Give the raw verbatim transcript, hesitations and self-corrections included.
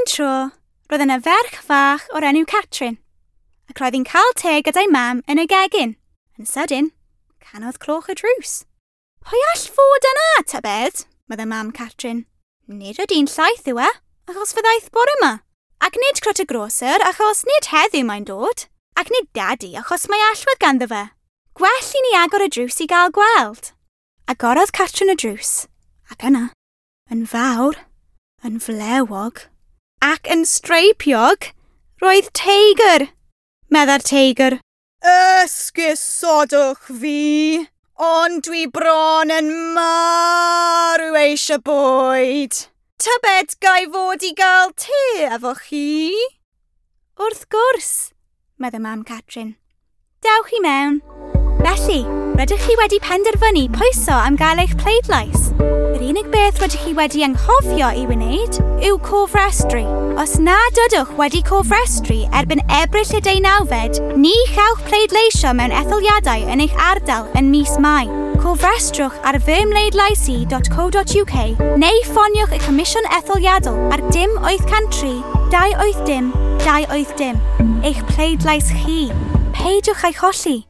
tro, roedd yna ferch fach o'r enw Catrin, ac roedd hi'n cael te gyda'i mam yn y gegin. Yn sydyn, canodd cloch y drws. Pwy all fod yna, tybed? Meddai mam Catrin. Nid y dyn llaeth yw e, achos fe ddaeth bore yma. Ac nid crwt y groser, achos nid heddiw mae'n dod. Ac nid dadi, achos mae allwedd ganddo fe. Gwell i ni agor y drws i gael gweld. Agorodd Catrin y drws, ac yna, yn fawr, yn flewog, ac yn streipiog, roedd teigr. Meddai'r teigr. Esgusodwch fi, ond dwi bron yn marw eisiau bwyd. Tybed gai fod i gael te efo chi? Wrth gwrs, meddai mam Catrin. Dewch i mewn. Felly, rydych chi wedi penderfynu pwyso am gael eich pleidlais. Yr unig beth rydych chi wedi anghofio i wneud yw cofrestru. Os nad ydych wedi cofrestru erbyn Ebrill y deunawfed, ni chewch pleidleisio mewn etholiadau yn eich ardal yn mis Mai. Cofrestrwch ar fymhleidlais i dot co dot uk neu ffoniwch y Comisiwn Etholiadol ar dim wyth cant tri dau wyth dim dau wyth dim. Eich pleidlais chi. Peidiwch â'i cholli.